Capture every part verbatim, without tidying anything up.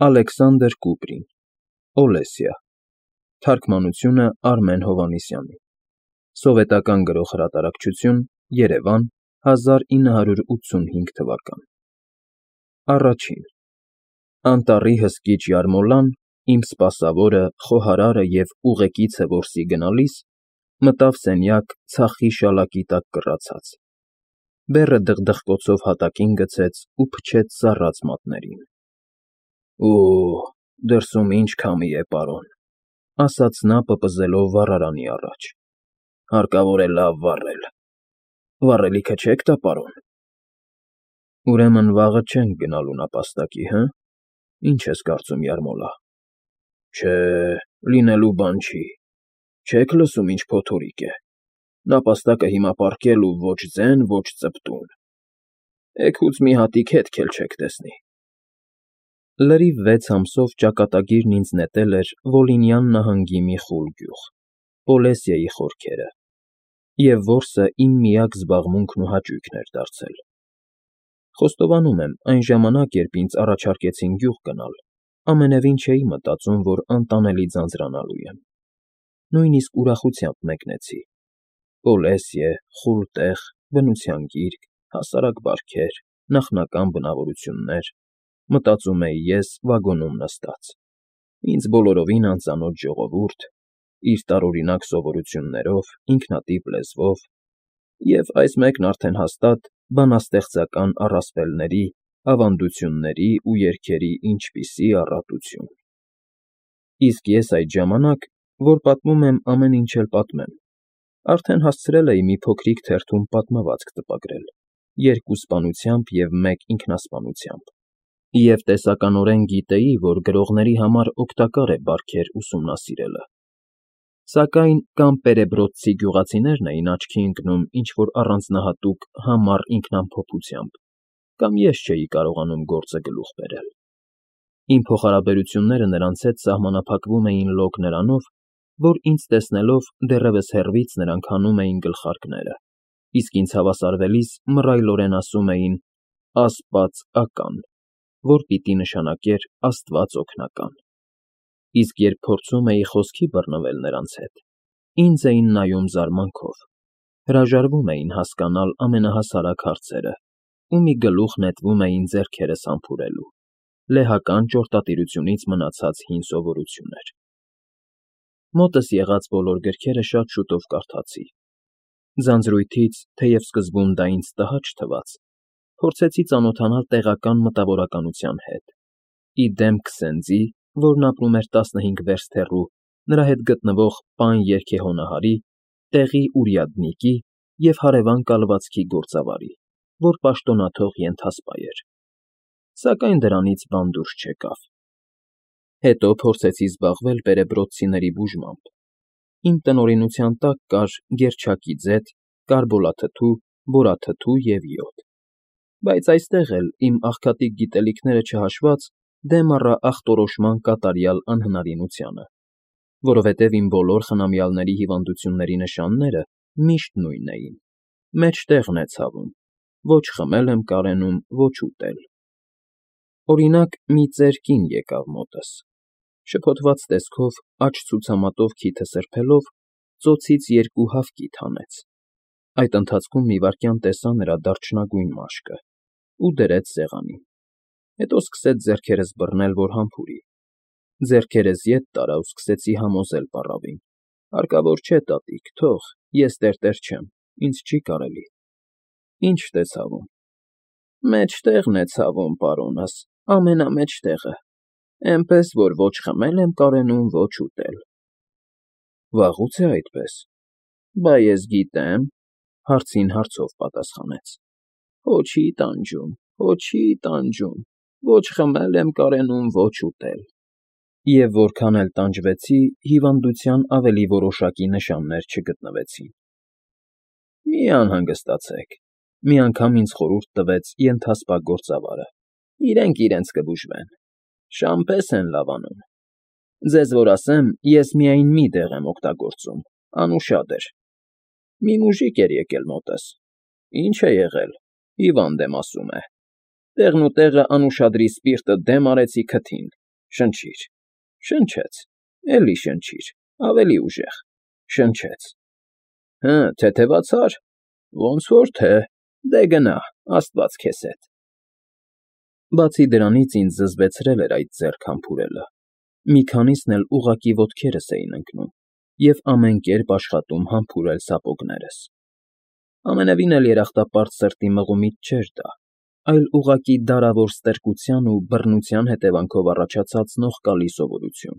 Ալեքսանդր Կուպրին, Օլեսիա, թարգմանությունը Արմեն Հովհաննիսյանի, սովետական գրող֊հրատարակչություն, Երևան, հազար ինը հարյուր ութսունհինգ թվական։ Առաջին Անտառի հսկիչ յարմոլան, իմ սպասավորը, խոհարարը և ուղեկիցը որսի գնալիս, մտավ սենյակ ցախի շալակի տակ կռացած, բեռը դխդխկոցով հատակին գցեց ու փչեց սառած մատներին։ ֊ Օ՜, դրսում ինչ քամի է, պարոն, ֊ ասաց նա պպզելով վառարանի առաջ, ֊ հարկավոր է լավ վառել։ Վառելիքը չե՞ք տա, պարոն։ ֊ Ուրեմն վաղը չենք գնալու նապաստակի, հը՞, ինչ ես կարծում, յարմոլա։ ֊ Չէ, լինելու բան չի, չե՞ք լսում ինչ փոթորիկ է, նապաստակը հիմա պառկել ու ոչ ձեն, ոչ ծպտուն, էգուց մի հատիկ հետք էլ չեք տեսնի։ Լրիվ վեց ամսով ճակատագիրն ինձ նետել էր Վոլինյան նահանգի մի խուլ գյուղ, Պոլեսիայի խորքերը, և որսը իմ միակ զբաղմունքն ու հաճույքն էր դարձել։ Խոստովանում եմ, այն ժամանակ, երբ ինձ առաջարկեցին գյուղ գնալ, ամենևին չէի մտածում, որ անտանելի ձանձրանալու եմ։ Նույնիսկ ուրախությամբ մեկնեցի. Պոլեսիա, խուլ տեղ, բնության գիրկ, հասարակ բարքեր, նախնական բնավորություններ, մտածում էի ես վագոնում նստած, ինձ բոլորովին անծանոթ ժողովուրդ, իր տարօրինակ սովորություններով, ինքնատիպ լեզվով և, այս մեկն արդեն հաստատ, բանաստեղծական առասպելների, ավանդությունների ու երգերի ինչպիսի առատություն։ Իսկ ես այդ ժամանակ, որ պատմում եմ, ամեն ինչ էլ պատմեմ, արդեն հասցրել էի մի փոքրիկ թերթում պատմվածք տպագրել, երկու սպանությամբ և մեկ ինքնասպանությամբ, և տեսականորեն գիտեի, որ գրողների համար օգտակար է բարքեր ուսումնասիրելը։ Սակայն կամ պերեբրոձցի գյուղացիներն էին աչքի ընկնում ինչ֊որ առանձնահատուկ համառ ինքնամփոփությամբ, կամ ես չէի կարողանում գործը գլուխ բերել։ Իմ փոխհարաբերությունները նրանց հետ սահմանափակվում էին լոկ նրանով, որ ինձ տեսնելով դեռևս հեռվից նրանք հանում էին գլխարկները, իսկ ինձ հավասարվելիս մռայլորեն ասում էին «ասպաց ական», որ պիտի նշանակեր «աստված օգնական», իսկ երբ փորձում էի խոսքի բռնվել նրանց հետ, ինձ էին նայում զարմանքով, հրաժարվում էին հասկանալ ամենահասարակ հարցերը ու մի գլուխ նետվում էին ձեռքերս համբուրելու, լեհական ճորտատիրությունից մնացած հին սովորություն էր։ Մոտս եղած բոլոր գրքերը շատ շուտով կարդացի։ Ձանձրույթից, թեև սկզբում դա ինձ տհաճ թվաց, փորձեցի ծանոթանալ տեղական մտավորականության հետ, ի դեմ Քսենձի, որն ապրում էր տասնհինգ վերստ հեռու, նրա հետ գտնվող Պան երգեհոնահարի, տեղի урядники և հարևան կալվածքի գործավարի, որ պաշտոնաթող ենթասպա էր։ Սակայն դրանից բան դուրս չեկավ։ Հետո փորձեցի զբաղվել պերեբրոձցիների բուժմամբ։ Իմ տնօրինության տակ կար գերչակի ձեթ, կարբոլաթթու, բորաթթու և յոդ, բայց այստեղ էլ, իմ աղքատիկ գիտելիքները չհաշված, դեմ առա ախտորոշման կատարյալ անհնարինությանը, որովհետև իմ բոլոր խնամյալների հիվանդությունների նշանները միշտ նույնն էին. մեջտեղն է ցավում, ոչ խմել եմ կարենում, ոչ ուտել։ Օրինակ, մի ծեր կին եկավ մոտս, շփոթված տեսքով, աջ ցուցամատով քիթը սրբելով, ծոցից երկու հավկիթ հանեց, այդ ընթացքում մի վայրկյան տեսա նրա դարչնագույն մաշկը ու դրեց սեղանին, հետո սկսեց ձեռքերս բռնել, որ համբուրի, ձեռքերս ետ տարա ու սկսեցի համոզել պառավին. «Հարկավոր չէ, տատիկ, թող, ես տերտեր չեմ, ինձ չի կարելի»։ Ի՞նչդ է ցավում։ «Մեջտեղն է ցավում, պարոնս, ամենամեջտեղը, էնպես որ ոչ խմել եմ կարենում, ոչ ուտել»։ Վաղո՞ւց է այդպես։ Բա ես գիտեմ, հարցին հարցով պատասխանեց. «Հո չի տանջում, հո չի տանջում, ոչ խմել եմ կարենում, ոչ ուտել»։ Եվ որքան էլ տանջվեցի, հիվանդության ավելի որոշակի նշաններ չգտնվեցին։ «Մի անհանգստացեք», մի անգամ ինձ խորհուրդ տվեց ենթասպա գործավարը, «իրենք իրենց կբուժվեն, շան պես են լավ անում։ Ձեզ որ ասեմ, ես միայն մի դեղ եմ օգտագործում, անուշադր։ Մի մուժիկ էր եկել մոտս, ինչ է եղել, հիվանդ եմ ասում է, տեղնուտեղը անուշադրի սպիրտը դեմ արեցի քթին, Շնչիր։ Շնչեց։ Էլի շնչիր, ավելի ուժեղ։ Շնչեց։ Հը, թեթևացա՞ր։ Ոնց որ թե, դե գնա, աստված քեզ հետ։ Բացի դրանից ինձ զզվեցրել էր այդ ձեռք համբուրելը։ Մի քանիսն էլ ուղղակի ոտքերս էին ընկնում և ամեն կերպ աշխատում համբուրել սապոգներս։ Ամենևին էլ երախտապարտ սրտի մղումից չէր դա, այլ ուղղակի դարավոր ստրկության ու բռնության հետևանքով առաջացած նողկալի սովորություն։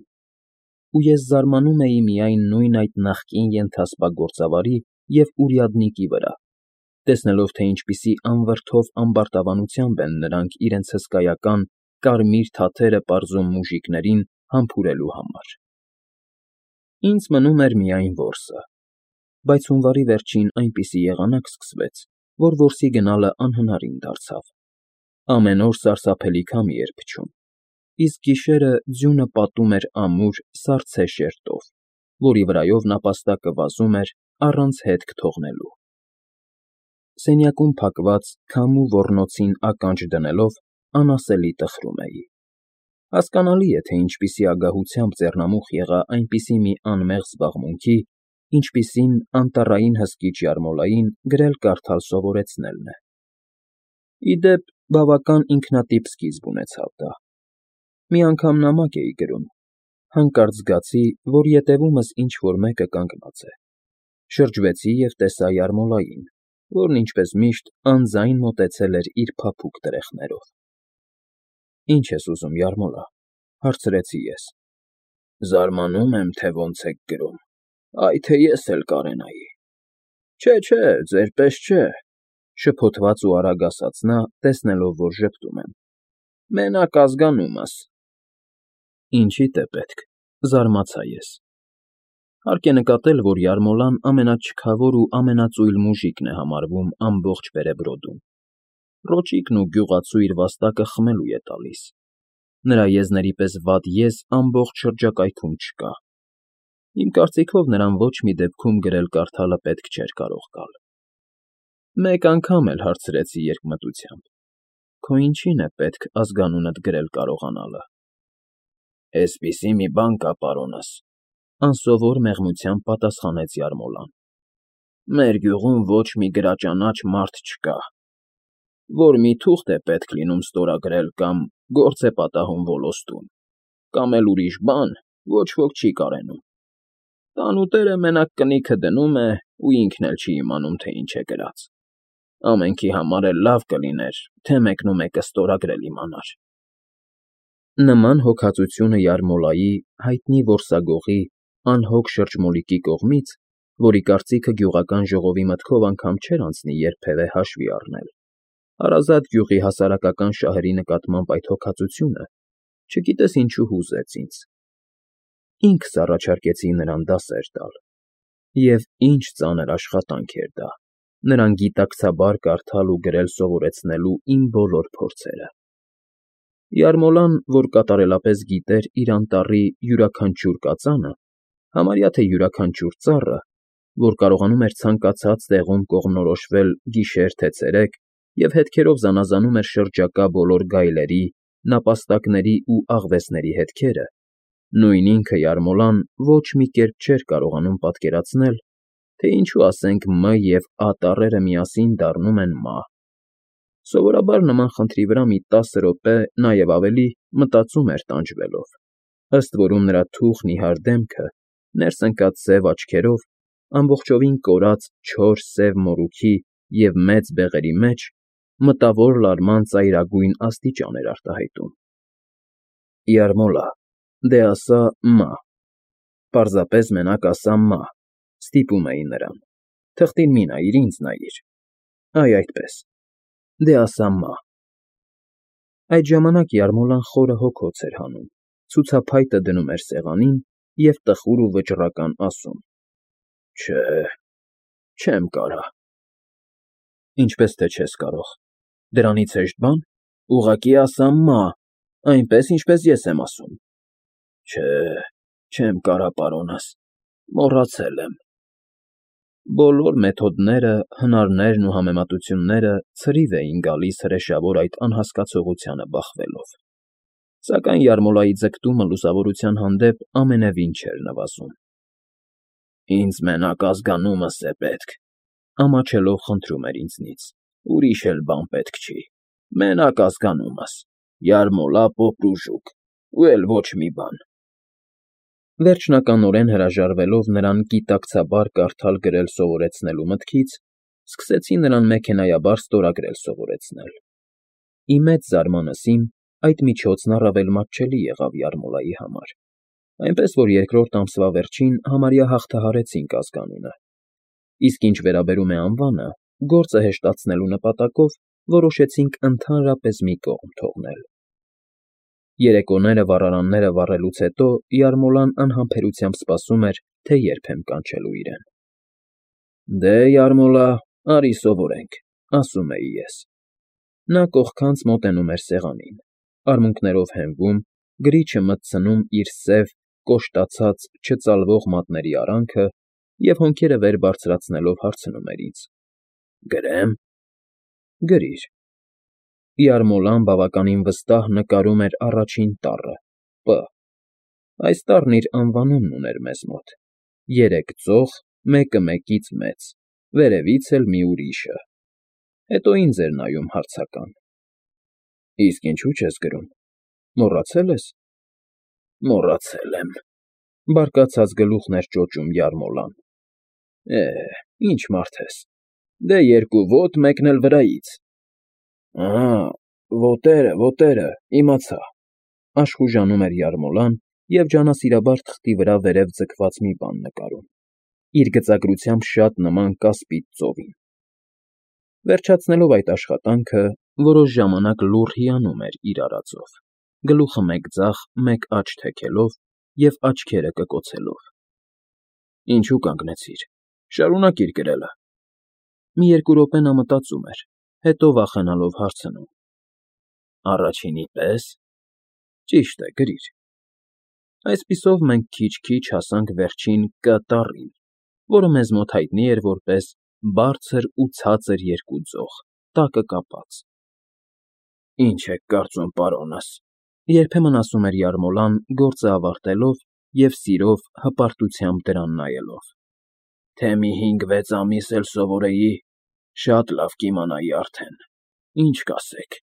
Ու ես զարմանում էի միայն նույն այդ նախկին ենթասպա գործավարի և урядники վրա, տեսնելով, թե ինչպիսի անվրդով ամբարտավանությամբ են նրանք իրենց հսկայական կարմիր թաթերը պարզում մուժիկներին համբուրելու համար։ Ինձ մնում էր միայն որսը, բայց հունվարի վերջին այնպիսի եղանակ սկսվեց, որ որսի գնալը անհնարին դարձավ։ Ամեն օր սարսափելի քամի էր փչում, իսկ գիշերը ձյունը պատում էր ամուր, սառցե շերտով, որի վրայով նապաստակը վազում էր առանց հետք թողնելու։ Սենյակում փակված քամու ոռնոցին ականջ դնելով անասելի տխրում էի։ Հասկանալի է, թե ինչպիսի ագահությամբ ձեռնամուխ եղա այնպիսի մի անմեղ զբաղմունքի, ինչպիսին անտառային հսկիչ յարմոլային գրել֊կարդալ սովորեցնելն է։ Ի դեպ, բավական ինքնատիպ սկիզբ ունեցավ դա։ Մի անգամ նամակ էի գրում, հանկարծ զգացի, որ ետևումս ինչ֊որ մեկը կանգնած է։ Շրջվեցի և տեսա յարմոլային, որն ինչպես միշտ անձայն մոտեցել էր իր փափուկ տրեխներով։ ֊ Ի՞նչ ես ուզում, յարմոլա,֊ հարցրի ես։ ֊ Զարմանում եմ, թե ոնց եք գրում, այ թե ես էլ կարենայի։ ֊ Չէ, չէ, ձեր պես չէ,֊ շփոթված ու արագ ասաց նա, տեսնելով, որ ժպտում եմ,֊ մենակ ազգանումս։ ֊ Ինչի՞դ է պետք,֊ զարմացա ես։ Հարկ է նկատել, որ յարմոլան ամենաչքավոր ու ամենածույլ մուժիկն է համարվում ամբողջ Վերեբրոդում։ Ռոճիկն ու գյուղացու իր վաստակը խմելու է տալիս։ Նրա եզների պես վատ եզ ամբողջ շրջակայքում չկա։ Իմ կարծիքով նրան ոչ մի դեպքում գրել֊կարդալը պետք չէր կարող գալ։ Մեկ անգամ էլ հարցրեցի երկմտությամբ. «Քո ինչի՞ն է պետք ազգանունդ գրել կարողանալը»։ «Էսպիսի մի բան կա, պարոնս,֊ անսովոր մեղմությամբ պատասխանեց յարմոլան,֊ մեր գյուղում ոչ մի գրաճանաչ մարդ չկա։ Որ մի թուղթ է պետք լինում ստորագրել կամ գործ է պատահում ոլոստում, կամ էլ ուրիշ բան, ոչ ոք չի կարենում։ Տանուտերը մենակ կնիքը դնում է ու ինքն էլ չի իմանում, թե ինչ է գրած։ Ամենքի համար էլ լավ կլիներ, թե մեկնումեկը ստորագրել իմանար»։ Նման հոգածությունը յարմոլայի՝ հայտնի որսագողի, անհոգ շրջմոլիկի կողմից, որի կարծիքը գյուղական ժողովի մտքով անգամ չէր անցնի երբևէ հաշվի առնել, հարազատ գյուղի հասարակական շահերի նկատմամբ այդ հոգածությունը, չգիտես ինչու հուզեց ինձ։ Ինքս առաջարկեցի նրան դասեր տալ։ Եվ ինչ ծանր աշխատանք էր դա՝ նրան գիտակցաբար կարդալ ու գրել սովորեցնելու իմ բոլոր փորձերը։ Յարմոլան, որ կատարելապես գիտեր իր անտառի յուրաքանչյուր կածանը, համարյա թե յուրաքանչյուր ծառը, որ կարողանում էր ցանկացած տեղում կողմնորոշվել գիշեր թե ցերեկ և հետքերով զանազանում էր շրջակա բոլոր գայլերի, նապաստակների ու աղվեսների հետքերը, նույն ինքը յարմոլան ոչ մի կերպ չէր կարողանում պատկերացնել, թե ինչու, ասենք, Մ և Ա տառերը միասին դառնում են մահ։ Սովորաբար նման խնդրի վրա մի տասը րոպե, նաև ավելի, մտածում էր տանջվելով, ըստ որում նրա թուխ նիհար դեմքը, ներս ընկած սև աչքերով, ամբողջովին կորած չոր սև մորուքի և մեծ բեղերի մեջ մտավոր լարման ծայրագույն աստիճան էր արտահայտում։ ֊ Յարմոլա, դե ասա Մ. Պարզապես մենակ ասա Մ. Ստիպում էի նրան, թղթին մի նայիր, ինձ նայիր։ Այ այդպես, դե ասա Մ. Այդ ժամանակ յարմոլան խորը հոգոց էր հանում, ցուցափայտը դնում էր սեղանին և տխուր ու վճռական ասում. Չէ, չեմ կարա։ Ինչպես թե չես կարող, դրանից հեշտ բա՞ն, ուղղակի ասա Մ. այնպես, ինչպես ես եմ ասում։ Չէ, չեմ կարա, պարոնս, մոռացել եմ։ Բոլոր մեթոդները, հնարներն ու համեմատությունները ցրիվ էին գալիս հրեշավոր այդ անհասկացողությանը բախվելով։ Սակայն Յարմոլայի ձգտումը լուսավորության հանդեպ ամենևին չէր նվազում։ ֊ Ինձ մենակ ազգանումս է պետք,֊ ամաչելով խնդրում էր ինձնից,֊ ուրիշ էլ բան պետք չի, մենակ ազգանումս, Յարմոլա Պոպրուժուկ, ու էլ ոչ մի բան… Վերջնականորեն հրաժարվելով նրան գիտակցաբար կարդալ֊գրել սովորեցնելու մտքից, սկսեցի նրան մեքենայաբար ստորագրել սովորեցնել։ Ի մեծ զարմանս իմ, այդ միջոցն առավել մատչելի եղավ Յարմոլայի համար, այնպես որ երկրորդ ամսվա վերջին համարյա հաղթահարեցինք ազգանունը, իսկ ինչ վերաբերում է անվանը, գործը հեշտացնելու նպատակով որոշեցինք ընդհանրապես մի կողմ թողնել։ Երեկոները վառարանները վառելուց հետո Յարմոլան անհամբերությամբ սպասում էր, թե երբ եմ կանչելու իրեն։ ֊ Դե, Յարմոլա, արի սովորենք,֊ ասում էի ես։ Նա կողքանց մոտենում էր սեղանին, արմունկներով հենվում, գրիչը մտցնում իր սև, կոշտացած, չծալվող մատների արանքը և հոնքերը վեր բարձրացնելով հարցնում էր ինձ. Գրե՞մ։ ֊ Գրիր։ Յարմոլան բավականին վստահ նկարում էր առաջին տառը՝ Պ. Այս տառն իր անվանումն ուներ մեզ մոտ. երեք ձող, մեկը մեկից մեծ, վերևից էլ մի ուրիշը, հետո ինձ էր նայում հարցական։ ֊ Իսկ ինչու՞ չես գրում, մոռացել ես։ ֊ Մոռացել եմ,֊ բարկացած գլուխն էր ճոճում Յարմոլան։ ֊ Է, ինչ մարդ ես, դե երկու ոտ, մեկն էլ վրայից։ ֊ Ա, ոտերը, ոտերը, իմացա,֊ աշխուժանում էր Յարմոլան և ջանասիրաբար թղթի վրա վերև ձգված մի բան նկարում, իր գծագրությամբ շատ նման կասպիտ ծովին։ Վերջացնելով այդ աշխատանքը, որոշ ժամանակ լուռ հիանում էր իր արածով, գլուխը մեկ ձախ, մեկ աջ թեքելով և աչքերը կկոցելով։ ֊ Ինչու կանգնեցիր, շարունակիր գրելը։ Մի երկու րոպե նա մտածում էր, հետո վախենալով հարցնում. Առաջինի պես։ ֊ Ճիշտ է, գրիր։ Այսպիսով մենք քիչ֊քիչ հասանք վերջին Կ տառին, որը մեզ մոտ հայտնի էր որպես Բարձր ու Ցածր երկու ձող, տակը կապած։ ֊ Ի՞նչ եք կարծում, պարոնս,֊ երբեմն ասում էր Յարմոլան, գործը ավարտելով և սիրով, հպարտությամբ դրան նայելով,֊ թե մի հինգ֊վեց ամիս էլ սովորեի, շատ լավ կիմանայի արդեն, ինչ կասեք։